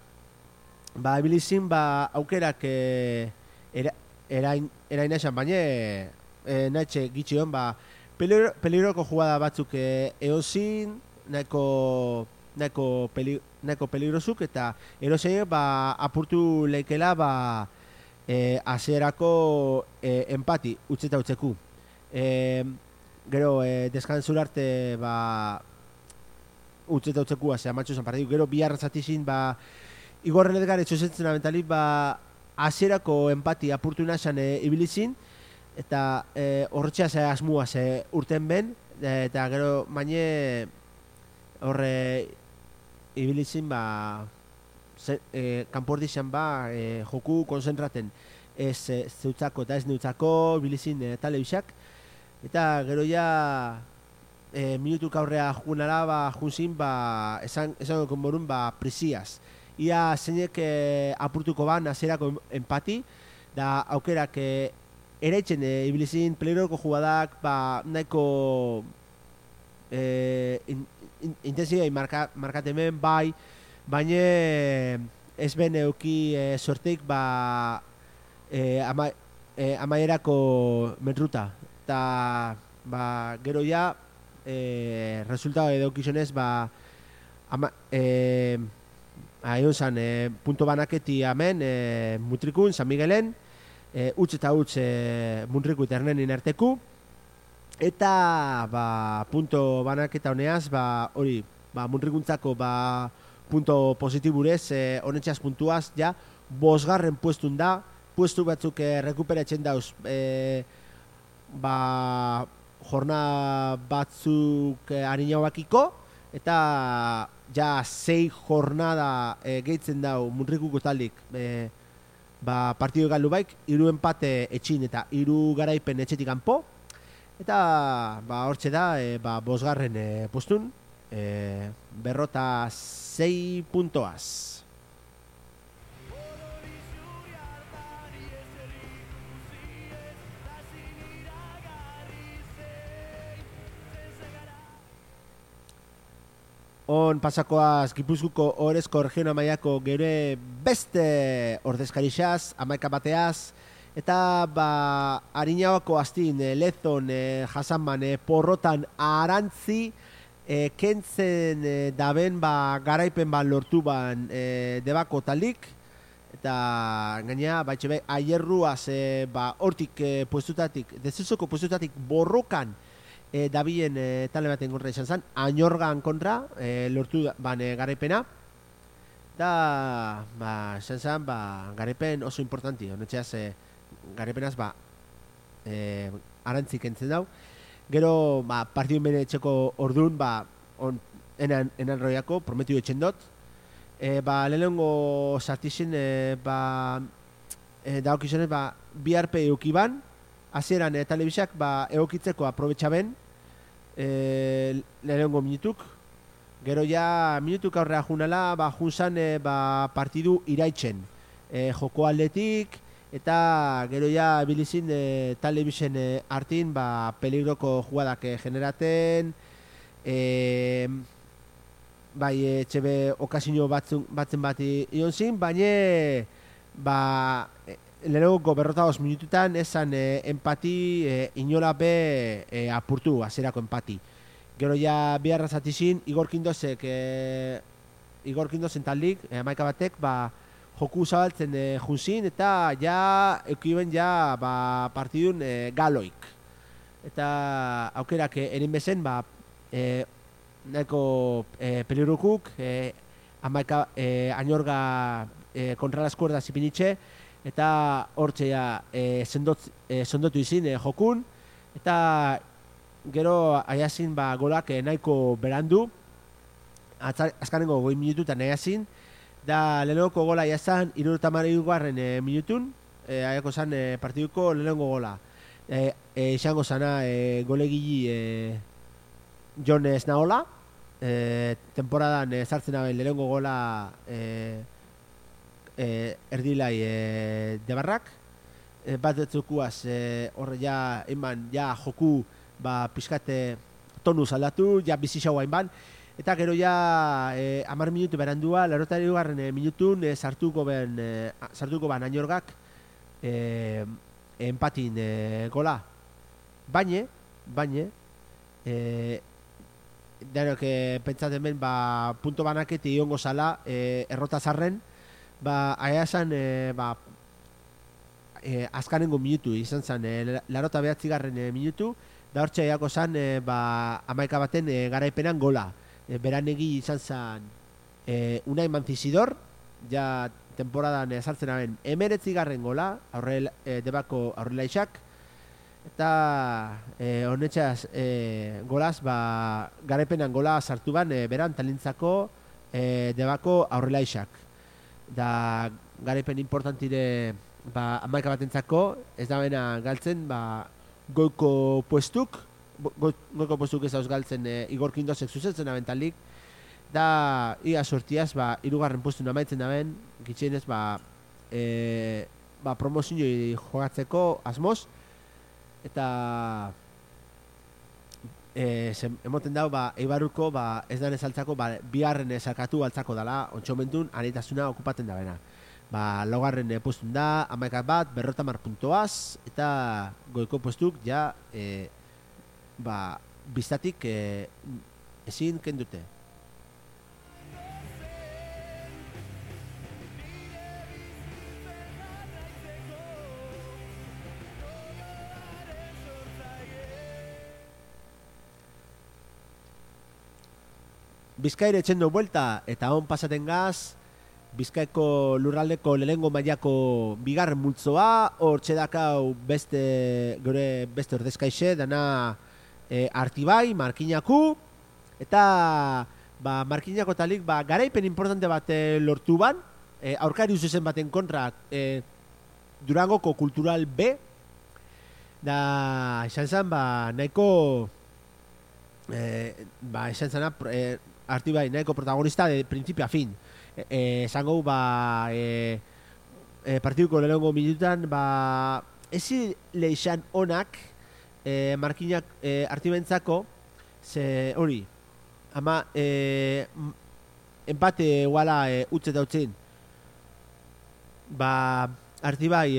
ibilizin aukerak erain esan, baina nahetxe gitxion, peligroko jugada batzuk eozin, nahiko peligrosuk, eta erosein apurtu leikela hasierako empati utzeta utzeku. Gero deskantzura arte utzeta utzeku amatxo zan partidu. Gero bihar zatizin igorren edgar etxosetzen abentalik hasierako empati apurtu nasan ibilizin, eta horretxeaz asmuaz urten ben, eta gero maine horre ibilizin kanpordizan joku konzentraten ez zeutzako eta ez neutzako ibilizin telebisak, eta gero ja minutuk aurrea junara junzin esan konborun prisiaz. Ia zeinek apurtuko hasierako empati, da aukerak eraitzen ibilizin peligroko jugadak nahiko intensiai markatemen baina ez ben euki sorteik amaierako metruta, eta gero ja resultado edo kizionez aion zan punto banaketi hemen Mutrikun, San Miguelen, utz eta utz Muntriku eta Hernenin arteku, eta punto banaketa honeaz hori Muntrikuntzako punto positiburez honetxeaz puntuaz ja bosgarren puestun da, puestu batzuk rekuperatzen dauz jornada batzuk harinau bakiko, eta ja 6 jornada gehitzen dau Muntrikuko taldik partidu galdu baik, 3 empate etxin eta 3 garaipen etxetik kanpo, eta hortxe da bosgarren postun, 46 puntoaz. On pasakoaz Gipuzkoako Orezko Regiona Mailako gure beste ordezkarixaz, 11 bateaz, eta Ariñabako astin, Lezon, Jasanman, Porrotan, Arantzi, kentzen daben garaipen lortu debako talik, eta gaina baitxe aierruaz hortik puestutatik, dezuzoko puestutatik borrokan dabilen tale baten kontra izan zen, Añorgan kontra lortu garaipena, eta izan zen garaipen oso importanti, honetxeaz garaipenaz Arantzik entzen dau. Gero partidun bene etxeko orduan enan roiako, prometiu etxen dut. Lehenengo sartizien daokizionez bi arpe eukiban, hasieran telebisak egokitzeko aprobetxaben lehenengo minutuk. Gero ja minutuk aurrea junala junzan partidu iraitzen joko aldetik, eta gero ja bilizin telebisen hartin peligroko jugadak generaten, etxebe okazio batzen ion zin, baina lehenengo berrotagoz minututan esan empati inola apurtu azerako empati. Gero ja biharra zatizin Igor Kindozen taldik, 11 batek joku zabaltzen junzin, eta ja eukiben partidun galoik. Eta aukerak erin bezen nahiko pelirukuk, Añorga kontra las cuerdas ipinitxe, eta hortxe sondotu izin jokun, eta gero aiazin golak nahiko berandu, azkanengo 2 minututan aiazin, da lehenengoko gola aiazan 73. Minutun, aiako zan partiduko lehenengo gola. Izango zana golegili Jon Esnaola, temporadan sartzen aben lehengo gola erdilai debarrak, bat etzukuaz horre ja eman ja joku pixkate tonuz aldatu, ja bizixau hainban, eta gero ja 10 minutu berandua, 82. Minutun sartuko ban Añorgak empatin gola. Baina denok pentsatzen ben punto banaketi iongo zala errota zarren, aiasan azkanengo minutu izan zen, 89. Minutu, da hortxe aiako zen 11 baten garaipenan gola. Beranegi izan zen Unai Manzizidor, ja temporadan sartzen aben 19. Gola, debako aurrelaixak, eta honetxaz golaz garaipenan gola sartu ban beran talintzako debako aurrelaixak. Da garaipen importantire 11 batentzako, ez da bena galtzen goiko puestuk ez dauz galtzen Igor Kindosek zuzentzen abentalik, da ia sortiaz 3. puestun amaitzen daben, gitxienez promozioi jogatzeko asmoz, eta emoten dau Eibaruko ez danez altzako bigarren sarkatu altzako dala, ontsomentun anitasuna okupaten da bena. Laugarren puestun da, 11 bat, 50 puntoaz, eta goiko puestuk ja biztatik ezin kendute. Bizkaire etxendo buelta eta hon pasaten gaz, Bizkaiko lurraldeko lehengo mailako bigarren multzoa, hor txedakau beste ordezkaixe, dana Artibai, Markinaku, eta Markinako talik garaipen importante bat lortu ban, aurkari zuzen baten kontra Durangoko Kultural B, da izan zen nahiko izan zen Artibai nahiko protagonista de principio a fin. Zango partiduko lehenengo minutan ezi leixan onak Markinak Artibentzako ze hori ama empate guala utze dautzen Artibai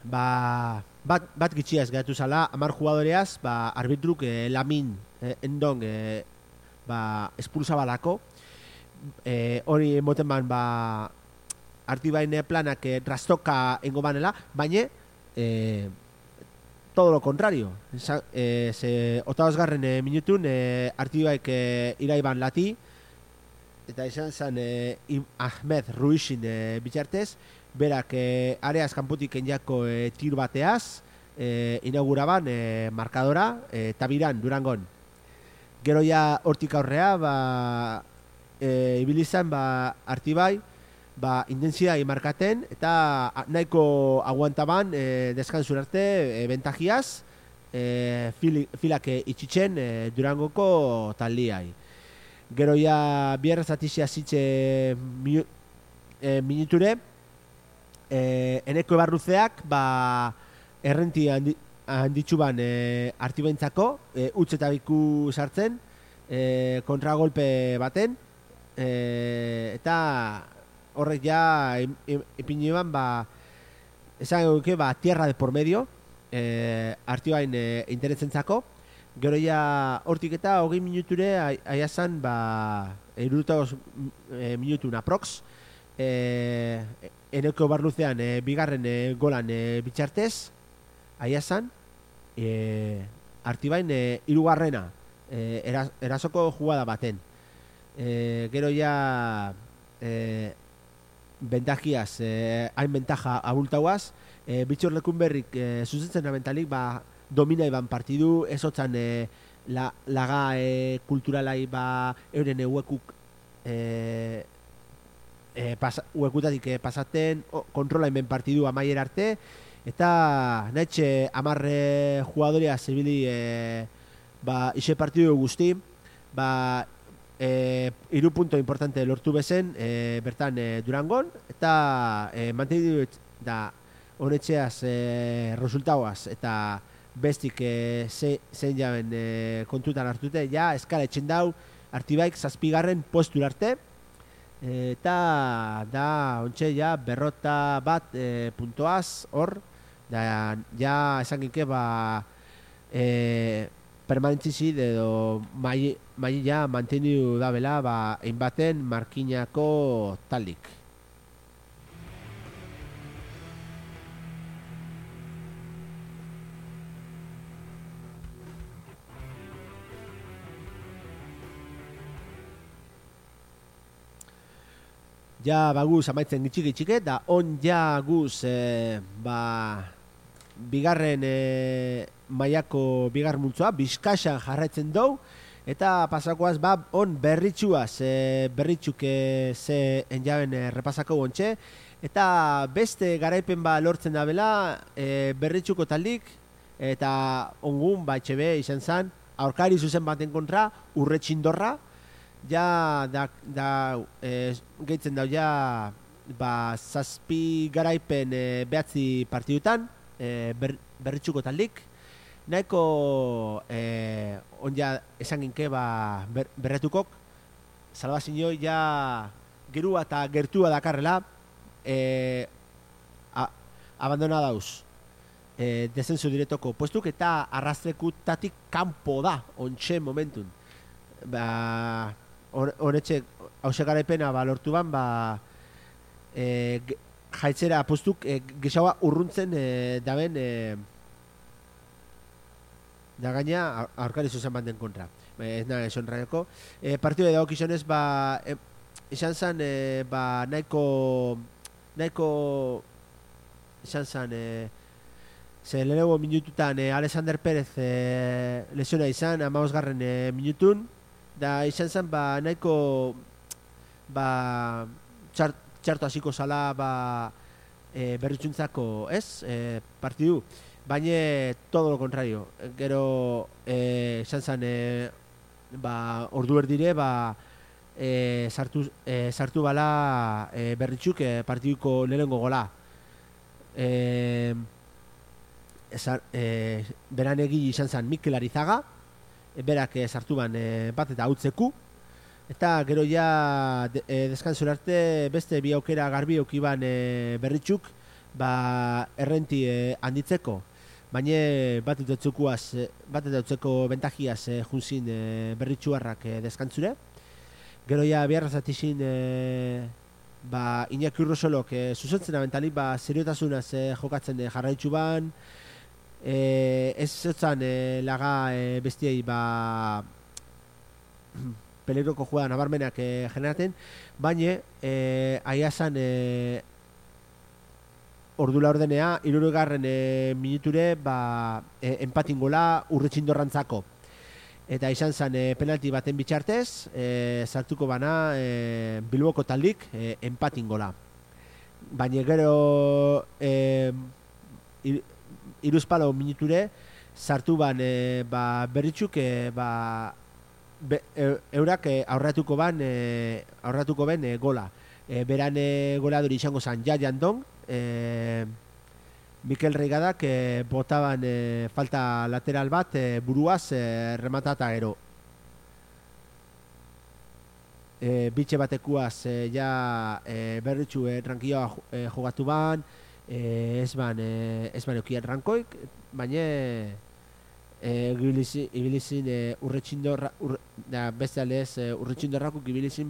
bat gitxiaz gaitu zala 10 jugadoreaz arbitruk Lamin endong espulsabalako hori moten ban Artibain planak trastoka engo banela, baina todo lo contrario. Otagosgarren minutun Artibaik iraiban lati, eta izan zen Ahmed Ruizin bitxartez, berak areaz kanputik enjako tir bateaz inauguraban markadora Tabiran, Durangon. Gero ja hortik aurrea ibilizan Artibai intensidai markaten eta nahiko aguantaban deskantzur arte bentajiaz filak itxitzen Durangoko taldiai. Gero ja bierra zatizia zitze minuture eneko ebarruzeak errenti handitxuban Artibaintzako utzetabiku sartzen kontragolpe baten eta horrek ja ipiniban esan eguke tierra de por medio Artibain interesentzako. Gero ja hortik eta 20 minuture aiazan 70 minutun aprox eneko barluzean bigarren golan bitxartez aiazan Artibain 3. Erasoko jugada baten. Gero ja bentajiaz hain bentaja abultauaz bitxor lekun berrik zuzentzen abentalik domina iban partidu ezotzan laga kulturalai euren uekuk uekutatik pasaten kontrola inben partidu amaier arte eta nahetxe 10 jugadorea zibili ixe partidu guzti hiru punto importante lortu bezen bertan Durangon, eta mantendu da honetxeaz resultauaz eta bestik zein jaben kontutan hartute, ja eskala etxen dau Artibaik 7. postura arte, eta da ontxe ja berrota bat puntoaz hor, da ja esan ginke permanentzizid edo maila mantendu da bela hainbaten markinako taldik. Ja baguz amaitzen gitxik da on ja guz bigarren mailako bigar multzoa Bizkaixan jarraitzen dou, eta pasakoaz on berritxuaz berritxuk ze enjaben repasako ontxe, eta beste garaipen lortzen da bela berritxuko taldik, eta ongun etxebe izan zen aurkari zuzen baten kontra Urretxindorra, ja gehitzen dau ja 7 garaipen 9 partidutan berritxuko taldik, nahiko on ja esan ginke berretukok salbazinoi ja gerua eta gertua dakarrela abandona dauz descenso direktoko puestuk, eta arrastrekutatik kanpo da ontxe momentun. Honetxe hause garaipena lortu ban jaitzera postuk gexaua urruntzen daben da gaina aurkari zuzen banden kontra. Ez nahi eson raioko. Partidu edo okizionez izan zen nahiko izan zen ze lehenengo minututan Alexander Pérez lesiona izan 15. Minutun, da izan zen nahiko txarto hasiko zala berritxuntzako partidu, baina todo lo contrario. Gero izan zen ordu erdire sartu bala berritxuk partiduko lehenengo gola. Beran egi izan zen Mikel Arizaga, berak sartu ban bat eta hautzeku, eta gero ja deskanzura arte beste bi aukera garbi aukiban berritxuk errenti handitzeko, baina bat eta utzeko bentajiaz junzin berritxuarrak deskantzure. Gero ja biharrazatizin Iñaki Urrosolok zuzentzen abentalik seriotasunaz jokatzen jarraitzu ban, ez zotzan laga bestiei peligroko juegan nabarmenak generaten, baina aiazan ordula ordenea 60. Minuture empatin gola Urretxindorrantzako, eta izan zen penalti baten bitxartez sartuko bana Bilboko taldik empatin gola, baina gero iruzpalo minuture sartu ban berritxuk eurak aurratuko ben gola. Beran goladori izango zen Jaian Dong, Mikel Reigadak botaban falta lateral bat buruaz rematata gero. Bitxe batekuaz ja berritxu rankioa jogatu ban, ez ban eukian rankoik, baina ibilizin Urretxindorra, beste aldez Urretxindorrakuk ibilizin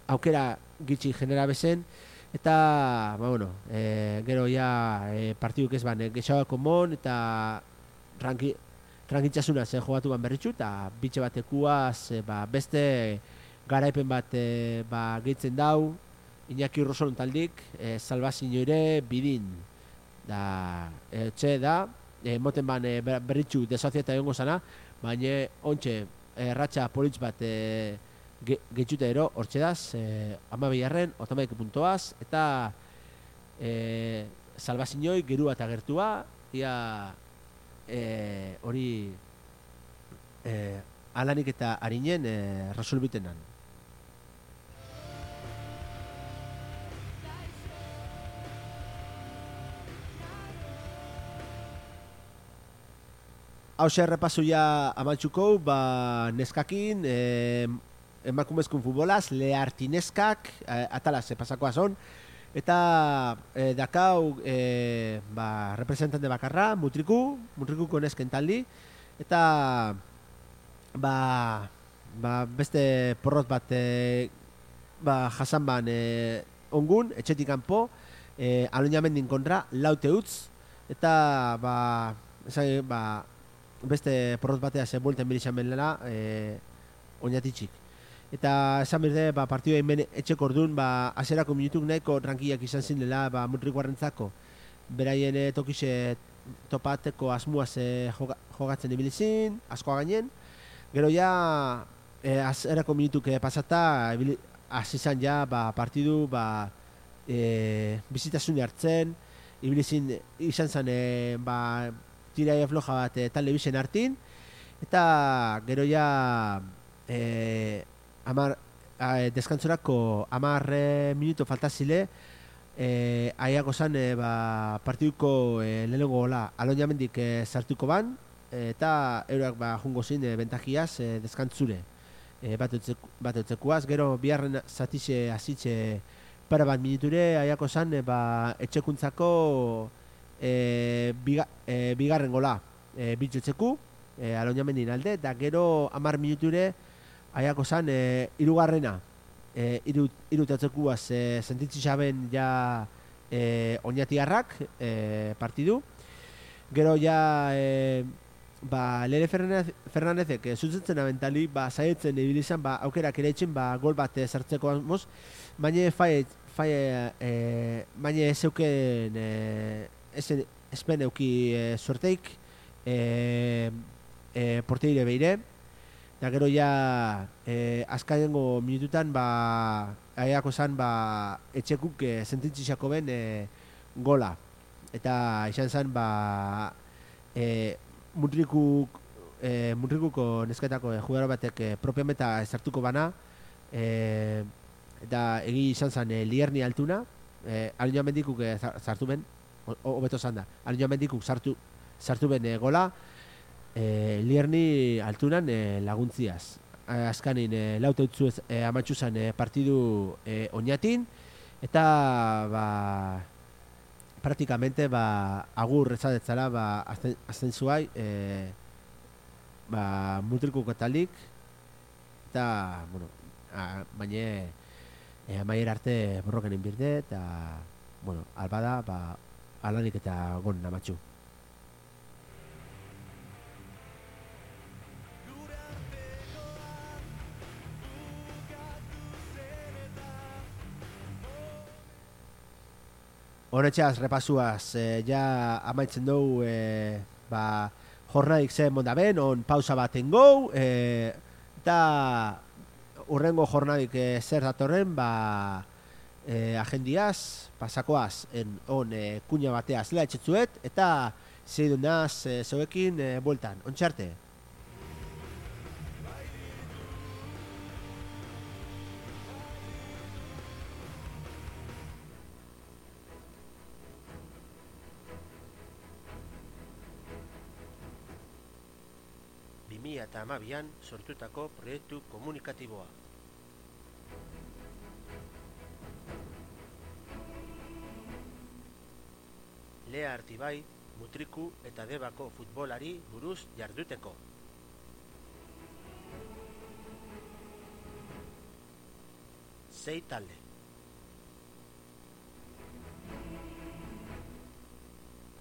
aukera gitxi genera bezen, eta gero ja partiduk ez ban gexauako mon, eta rankintxasunaz jogatu ban berritxu, eta bitxe batekuaz beste garaipen bat gehitzen dau Iñaki Urrosolon taldik, salbazinoire bidin da etxe da, moten ban berritxu desozieta egongo zana, baina ontxe ratxa politz bat gehitxute ero, hortxe daz, 12. 12 puntoaz, eta salbazinoi gerua eta gertua, ia hori alanik eta harinen resolbitenan. Hau errepasu ja amantxuko, neskakin, emakumezkun futbolaz, leharti neskak, atalaz pasakoa zon, eta dakau representante bakarra, mutrikuko nesken taldi, eta beste porrot bat jasan ban ongun, etxetik kanpo, Aloñamendin kontra, laute utz, eta beste porrot batea ze buelten bilizan benela oinatitxik. Eta esan berde, partidua inben etxeko orduan, aserako minutuk nahiko rankiak izan zinela mutrikuarrentzako. Beraien tokize topateko asmuaz jogatzen ibilizin, askoa gainen. Gero ja, aserako minutuk pasata, azizan ja partidu bizitasune hartzen, ibilizin izan zen tirai floja bat talde bizen hartin, eta gero ja deskantzorako 10 minuto faltazile, aiako zan partiduko lehenengo gola Aloñamendik sartuko ban, eta euroak jungo zin bentajiaz deskantzure bat eutzekuaz. Gero biharren zatize azitze para bat minuture, aiako zan etxekuntzako bigarren gola bitutzeku Aloñamendin alde, eta gero 10 minuture aiako zan irugarrena irutatzekoaz sentitzi xaben ja oinatiarrak partidu. Gero ja Lere Fernandezek zuzentzen abentali zaietzen ibilizan aukerak ere etxen gol bat sartzeko asmoz, baina baina ez euken espen euki suerteik porteire beire. Eta gero ja azkarengo minututan aiako zan etxekuk sentitziako ben gola. Eta izan zan Mutrikuko nesketako jugador batek propiameta sartuko bana, eta egi izan zan Lierni altuna, Aloñamendikuk sartu ben, hobeto zan da, Aloñamendikuk sartu ben gola, Lierni altunan laguntziaz. Azkanin laute utzu amatxu zan partidu oinatin, eta praktikamente agur ezadetzala azten zuai Mutrikuko talik, eta baina amaier arte borroken inbirde, eta albada alanik eta gon amatxu. Honetxeaz, repasuaz, ja amaitzen dugu jornadik zen mondaben, on pausa baten gau, eta urrengo jornadik zer datorren, agendiaz, pasakoaz, on kuña bateaz lea etxetzuet, eta zeidunaz zeuekin bueltan, ontxarte. Eta amabian sortutako proiektu komunikatiboa. Lea Artibai, Mutriku eta Debako futbolari buruz jarduteko. Sei talde.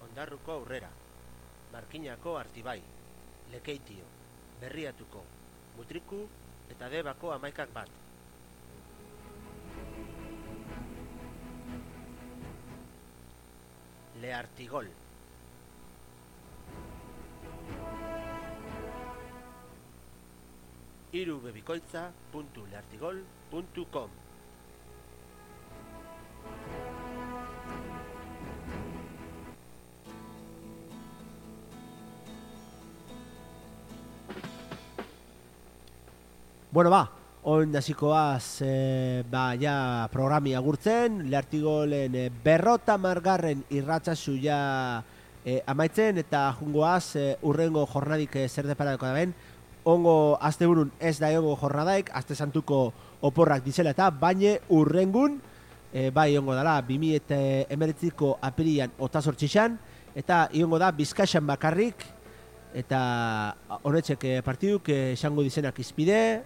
Ondarruko Aurrera, Markinako Artibai, Lekeitio, Berriatuko, Mutriku eta Debako 11 bat. Leartigol. irubebikoitza.leartigol.com. Bueno, on hasikoaz ja programi agurtzen, Leartigolen berrota margarren irratsasu ja amaitzen, eta jungoaz urrengo jornadik zer deparatuko da ben. Ongo asteburun ez da ongo jornadaik, aste santuko oporrak dizela eta baina urrengun bai ongo dala 2019ko apirian 28an, eta iongo da Bizkaian bakarrik, eta honetxek partiduk esango dizenak izpide,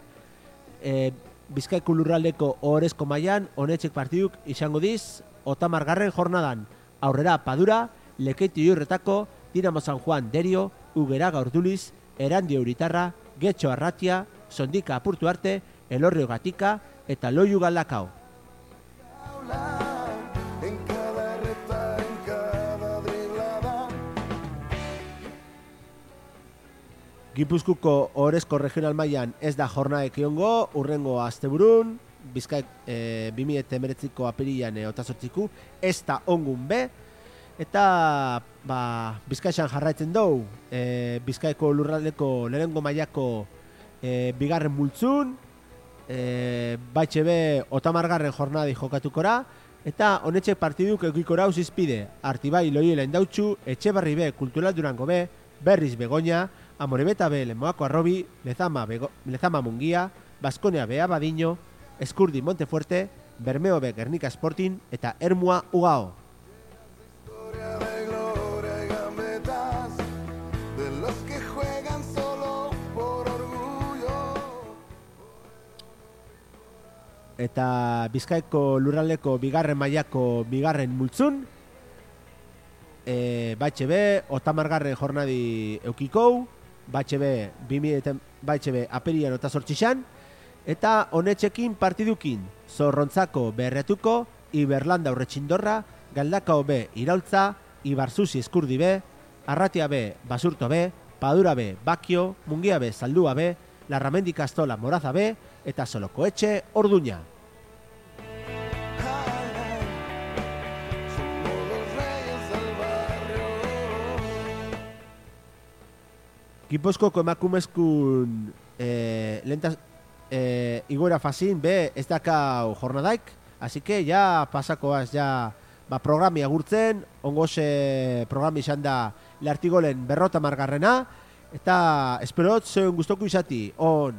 Bizkaiko lurraldeko ohorezko mailan honetxek partiduk izango diz 30. jornadan. Aurrera Padura, Lekeitio Iurretako, Dinamo San Juan Derio, Ugera Gaurduliz, Erandio Uritarra, Getxo Arratia, Sondika Apurtu Arte, Elorrio Gatika eta Loiu Galdakao. Gipuzkoako ohorezko regional mailan ez da jornaek egongo, urrengo asteburun, Bizkaik 2019ko apirilan 28ku, ez da ongun be, eta Bizkaian jarraitzen dugu, Bizkaiko lurraldeko lehenengo mailako bigarren multzun, baitxe be 30. jornadi jokatukora, eta honetxek partiduk eukikora uzizpide, Artibai Loiola Indautxu, Etxebarri be Kultural Durango be, Berriz Begoña, Amorebeta be Lemoako Arrobi, Lezama Mungia, Baskonia be Abadiño, Eskurdi Montefuerte, Bermeo be Gernika Sporting eta Ermua Ugao. Eta Bizkaiko lurraldeko bigarren mailako bigarren multzun, baitxe be 30. jornadi eukikou, baitxe be apirian 28an, eta honetxekin partidukin Zorrontzako Berretuko, Iberlanda Urretxindorra, Galdakao be Iraultza, Ibarzuzi Eskurdi be, Arratia be Basurto be, Padura be Bakio, Mungia be Zaldua be, Larramendi Kastola Moraza be, eta Solokoetxe Orduña. Gipuzkoako emakumezkun igoera fazin be ez dakau jornadaik, así que ya pasakoaz ja programi agurtzen, ongoze programi izan da Leartigolen berrota margarrena, eta esperot zeuen guztoku izati on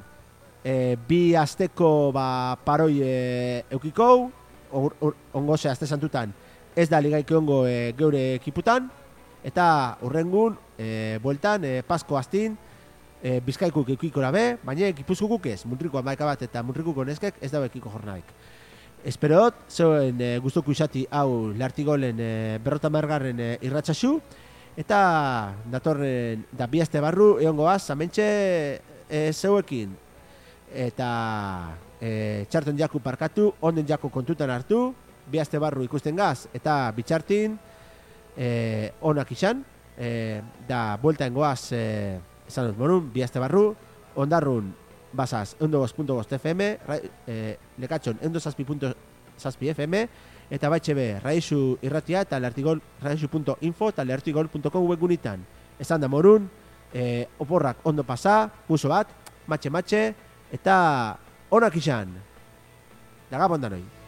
bi asteko paroi eukikou, ongoze aste santutan ez da ligaik ongo geure ekiputan, eta urrengun bueltan Pasko astin Bizkaikuk eukikora be, baina Gipuzkoakuk ez, Muntriko amaika bat eta Muntrikuko neskek ez dago ekiko jornaik. Esperot, zeuen guztoku izati hau Leartigolen berrota margarren irratsasu, eta datorren da bi aste barru egongoaz, amentxe zeuekin, eta txarton jaku parkatu, onden jaku kontutan hartu, bi aste barru ikusten gaz, eta bitxartin onak izan, da buelta engoaz esan dut morun, bi aste barru, ondarrun basaz 102.5 FM, lekatxon 107.6 FM, eta baitxe be, Raizu irratia eta Leartigol, raizu.info eta leartigol.com webgunitan. Esan da morun, oporrak ondo pasa, guzo bat, matxe, eta onak izan. Dagabon danoi.